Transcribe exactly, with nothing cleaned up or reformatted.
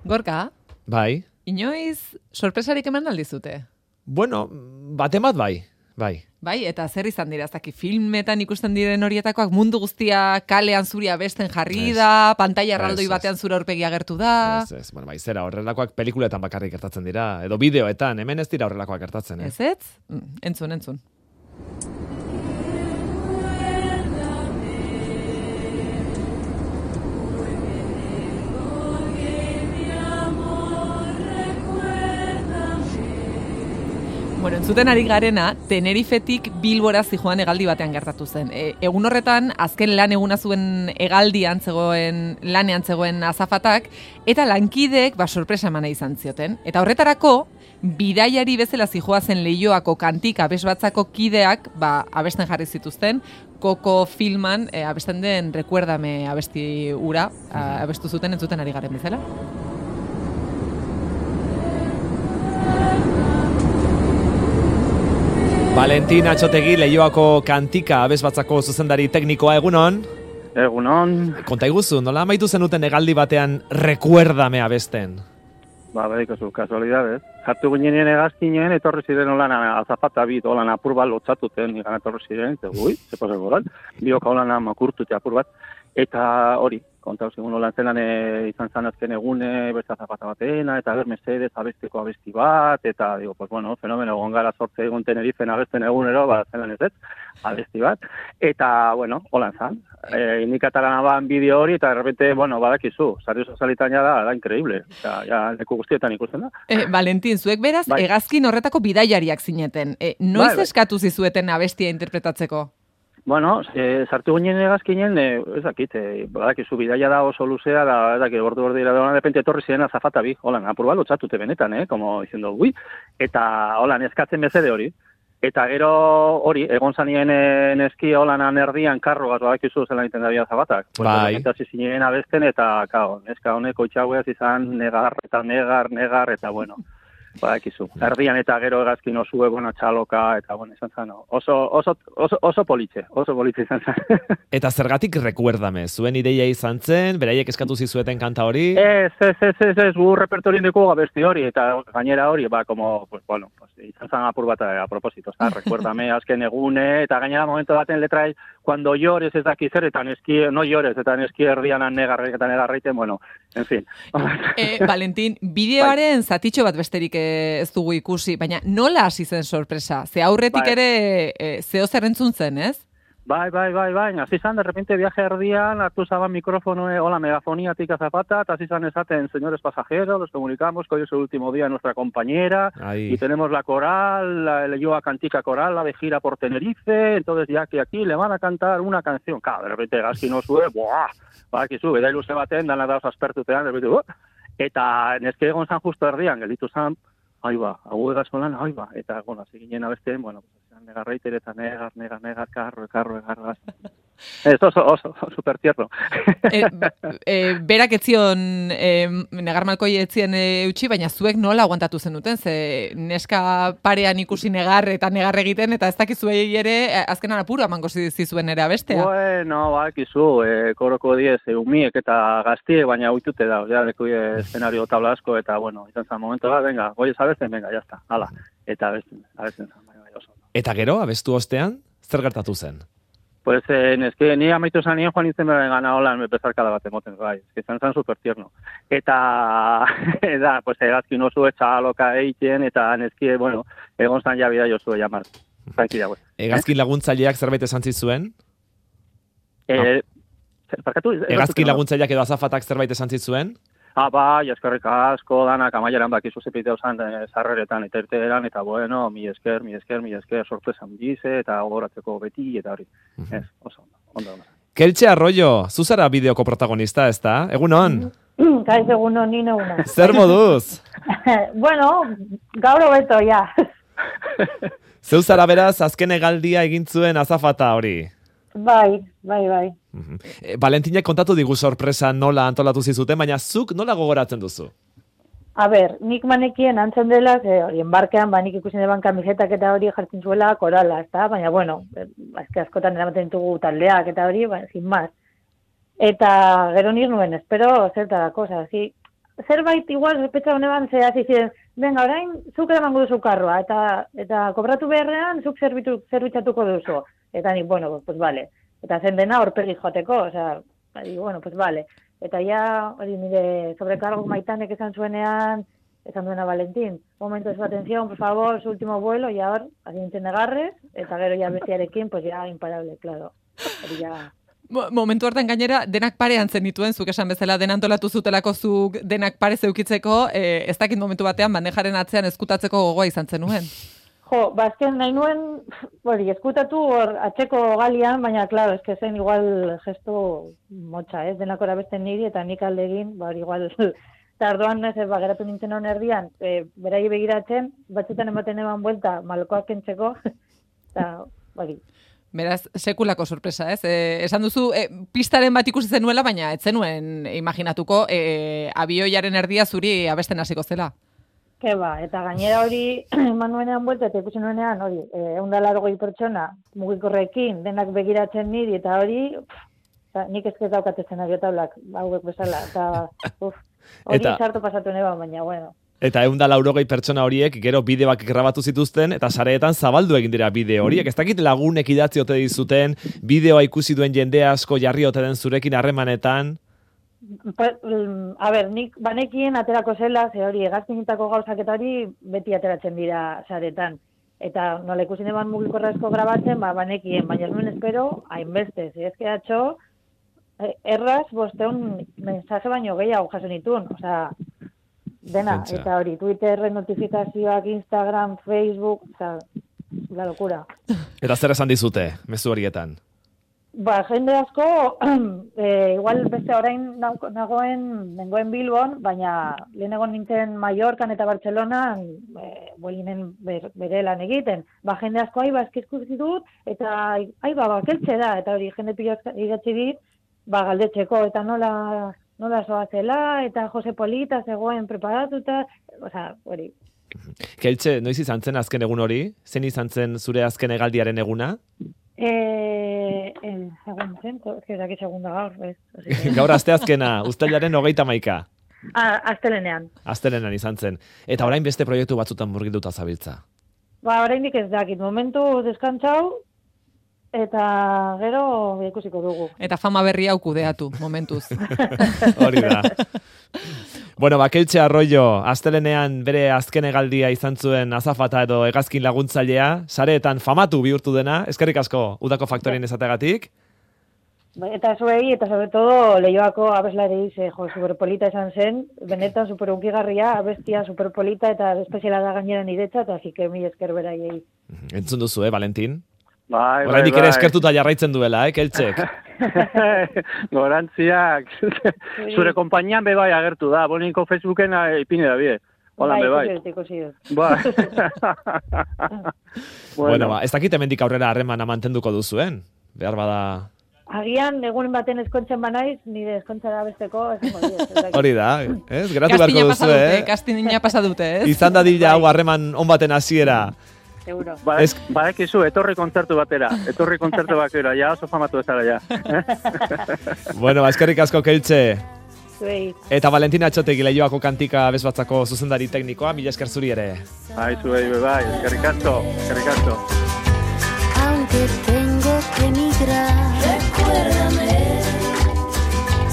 Gorka, Bai. inoiz sorpresarik eman aldizute? Bueno, batemat bai, bai. Bai, eta zer izan dira, ez dakit, filmetan ikusten diren horietakoak mundu guztia kalean zuri abesten jarri da, pantalla erraldoi batean zure aurpegi agertu da. Ez, ez, bueno, bai, zera, horrelakoak pelikuletan bakarrik gertatzen dira, edo bideoetan, hemen ez dira horrelakoak gertatzen, eh? Ez ez? Mm, entzun, entzun. Bueno, entzuten ari garena, Tenerifetik Bilbora zijoan hegaldi batean gertatu zen. E, egun horretan, azken lan eguna zuen hegaldian zegoen, lanean zegoen azafatak, eta lankideek ba, sorpresa emana izan zioten. Eta horretarako, bidaiari bezala zijoa zen Leioako kantika abesbatzako kideak ba, abesten jarri zituzten, Koko filman e, abesten den Recuérdame abesti ura, a, abestu zuten entzuten ari garen bezala. Valentin Atxotegi, Leioako kantika abesbatzako zuzendari teknikoa, egunon? Egunon. Konta iguzu, nola amaitu zenuten hegaldi batean Recuérdame abesten? Ba, badikozu, kasualidades. Jartu ginean egazkinen, etorri ziren holan azapata bit, holan apur bat lotzatuten, igan etorri ziren, eta ui, ze pasa goran, bioka holan makurtute apur bat, eta hori, kontau zigun holan zelan e, izan zan azken egune, beste azapata batena, eta ber mesedez abesteko abesti bat, eta, digo, pues bueno, fenomeno egon gara sortze egun Tenerifen abesten egunero, ba, zelan ez ez, abesti bat, eta, bueno, holan zan, e, indikatarana ban bideo hori, eta de repente, bueno, badakizu, sari sozialitan ja da, da increíble, eta, ja, leku guztietan ikusten da. Eh, Valentin, zuek beraz, bai. Hegazkin horretako bidaiariak zineten. E, noiz bai, bai. Eskatu zizueten abestia interpretatzeko? Bueno, e, sartu ginen egazkinen, e, ez dakit, e, badakizu bidaia da oso luzea, da, ez dakit, bordu bordu dira, de repente etorri ziren azafata bi, holan, apur bat lotzatute benetan, eh, como diciendo, ui, eta holan, eskatzen bezede hori. Eta gero hori, egon zanien neski holanan erdian karrogaz, badakizu zelan iten da bia zabatak. Bai. Eta zizinen abesten, eta, kao, neska honeko itxaueaz izan negar, eta negar, negar, eta bueno. Badakizu. Erdian eta gero egazkin oso egon txaloka, eta bueno, izan zen, oso, oso, oso, oso politxe, oso politxe izan zen. Eta zergatik Recuérdame, zuen ideia izan zen, beraiek eskatu zizueten kanta hori? Ez, ez, ez, ez, ez, gu repertorien dugu abesti hori, eta gainera hori, ba, como, pues, bueno, pues, izan zen apur bat a propósito, eta Recuérdame azken egune, eta gainera momento baten letra, cuando llores ez daki zer, eta neski, no llores, eta neski erdian negarrek eta negarreiten, bueno, en fin. Eh, Valentin, bideoaren zatitxo bat besterik ez dugu ikusi, baina nola hasi zen sorpresa? Ze aurretik bai. ere e, zeo zer entzun zen, ez? Bai, bai, bai, bai, hasi zan, de repente viaje erdian, hartu zaban mikrofono, eh, hola, megafoniatik azapata, eta hasi zan esaten, señores pasajeros, los comunicamos que hoy es el último día de nuestra compañera, Ahí. y tenemos la coral, la Leioa Cantica Coral, la de gira por Tenerife, entonces ya que aquí le van a cantar una canción, claro, de repente Gazki no sube, buah, ba, ki sube, da iluze baten, dana dauz aspertutean, de repente, buah, eta neske egon zan justo erdian, gelditu zan, Ahí va, hau egazolan, ahí va. Eta, bueno, hasi ginen abesten, bueno, pues, negarreiter eta negar, negar, negar, karro, karro, karro, Ez oso, oso, super tierno. e, e, berak etzion, e, negar malkoi etzien e, utzi, baina zuek nola aguantatu zenuten, ze neska parean ikusi negar eta negar egiten, eta ez dakizuei ere, azkenan apuru amango zizuen ere abestea. Bueno, bakizu, e, koroko diez, e, umiek eta gaztiek, baina uitute da, ja, leku eszenario tabla asko, eta, bueno, izan zan momento da, venga, goi ez abesten, venga, jazta, hala, eta abesten, abesten zan, bai, bai, oso. Eta gero, abestu ostean, zer gertatu zen? Pues, eh, eske, ni amaitu zanien joan izan beren gana holan bezarkada bat emoten, bai, eske zan zan super tierno. Eta, da, pues, egazkin oso etxaloka eitzen, eta neski, bueno, egon zan ja bida jozue jamar. Tranquila, pues. Egazkin laguntzaileak zerbait esan zizuen? Eh, no. Parkatu? Egazkin laguntzaileak edo azafatak zerbait esan zizuen? Ah, bai, eskerrik asko, danak amaieran bakizu zepiteu zan zarreretan, eta irteeran, eta bueno, mi esker, mi esker, mi esker, sorpresan dize, eta gogoratzeko beti, eta hori. Uh-huh. Ez, oso, ondo, ondo. Keltxe Arroyo, zuzara bideoko protagonista, ez da? Egunon? Kaiz egunon, nino una. Zer moduz? Bueno, gaur hobeto, ja. Zeuzara beraz, azken hegaldia egin zuen azafata hori? Bai, bai, bai. Uh-huh. E, Valentinek kontatu digu sorpresa nola antolatu zizuten, baina zuk nola gogoratzen duzu? A ber, nik manekien antzen dela, ze hori, enbarkean, ba, nik ikusten eban kamisetak eta hori jartzen zuela korala, ezta? Baina, bueno, azke askotan eramaten ditugu taldeak eta hori, ba, sin más. Eta gero nik nuen, espero zertarako, oza, zi, zerbait igual sospecha honeban ze hasi ziren, venga, orain zuk eramango duzu karroa, eta eta kobratu beharrean zuk zerbitu, zerbitzatuko duzu. Eta nik, bueno, pues vale. Eta zen dena horpegi joateko, osea, digo, bueno, pues vale. Eta ja, hori nire sobrekargo Maitanek esan zuenean, esan duena Valentín, momento de su atención, por favor, su último vuelo, y ahora, así nintzen negarrez, eta gero ja bestiarekin, pues ya imparable, claro. Hori ja... Momentu hartan gainera, denak parean zen dituen, zuk esan bezala, den antolatu zutelako zuk denak pare zeukitzeko, eh, ez dakit momentu batean, bandejaren atzean eskutatzeko gogoa izan zenuen. Jo, bazken nahi nuen, hori, eskutatu hor atxeko galian, baina, klaro, eske zen igual gesto motxa, ez, denak orabesten niri, eta nik alde egin, ba, igual, tardoan, ez, ba, geratu nintzen hon erdian, e, berai begiratzen, batzutan ematen eman buelta, malkoak kentzeko, eta, hori. Beraz, sekulako sorpresa, ez? E, esan duzu, e, pistaren bat ikusi zenuela, baina ez zenuen imaginatuko e, abioiaren erdia zuri abesten hasiko zela. Ke ba, eta gainera hori eman nuenean buelta, eta ikusi nuenean hori, ehun eta laurogei pertsona mugikorrekin, denak begiratzen niri, eta hori, pff, nik ezkez daukatezen abiotaulak, hauek bezala, eta uf, hori eta... sartu pasatu neba, baina, bueno. Eta ehun eta laurogei pertsona horiek gero bideoak grabatu zituzten eta sareetan zabaldu egin dira bideo horiek. Ez dakit lagunek idatzi ote dizuten, bideoa ikusi duen jende asko jarri ote den zurekin harremanetan? A ber, nik banekien aterako zela, ze hori egazkinitako gauzak eta hori beti ateratzen dira saretan. Eta nola ikusi neban mugikorrezko grabatzen, ba, banekien, baina ez nuen espero, hainbeste, ze ezke atxo, erraz, bosteun mensaje baino gehiago jaso nituen, osea, dena, Pentsa. Eta hori, Twitter, notifikazioak, Instagram, Facebook, oza, la locura. Eta zer esan dizute, mezu horietan? Ba, jende asko, e, igual beste orain nagoen, nengoen Bilbon, baina lehen egon nintzen Mallorcan eta Bartzelonan, e, bolinen ber, bere lan egiten. Ba, jende asko, ai, ba, eskizku ditut, eta, ai, ba, ba, keltze da, eta hori, jende pila idatzi dit, ba, galdetzeko, eta nola... nola zoazela, eta Jose Polita zegoen preparatuta, oza, hori. Keltxe, noiz izan zen azken egun hori? Zen izan zen zure azken hegaldiaren eguna? Eh, egun zen, ezkerak segunda gaur, ez. Gaur aste azkena, uztailaren hogeita hamaika. Ah, astelenean. Astelenean izan zen. Eta orain beste proiektu batzutan murgilduta zabiltza. Ba, oraindik ez dakit, momentu deskantzau, eta gero ikusiko dugu. Eta fama berria hau kudeatu, momentuz. Hori da. Bueno, ba, Keltxe Arroyo, astelenean bere azken hegaldia izan zuen azafata edo hegazkin laguntzailea, sareetan famatu bihurtu dena, eskerrik asko udako faktorien esategatik. Eta zuei, eta sobre todo Leioako abeslari ze, jo, superpolita esan zen, benetan superunkigarria, abestia superpolita eta espeziala da gainera niretza, eta zike mi esker beraiei. Entzun duzu, eh, Valentin? Bai, bai, Oraindik bai. ere eskertuta jarraitzen duela, eh, Keltxek? Gorantziak. Zure konpainian be bai agertu da, bolinko Facebooken ipine da bie. Hola, be bai. Bai. Bueno, ba, ez dakit hemendik aurrera harremana mantenduko duzuen. Behar bada... Agian, egun baten eskontzen banaiz, nire eskontzara besteko, ez hori. Hori da, ez? Geratu beharko duzu, eh? Kastina pasa dute, ez? Izan da dila hau harreman on baten hasiera. Seguro. Ba, es... Badakizu, etorri kontzertu batera. Etorri kontzertu batera, ja oso famatu ezara, ja. Bueno, ba, eskerrik asko, Keltxe. Zuei. Eta Valentina Atxotegi Leioako kantika bezbatzako zuzendari teknikoa, mila esker zuri ere. Bai, zuei, bai, eskerrik asko, eskerrik asko.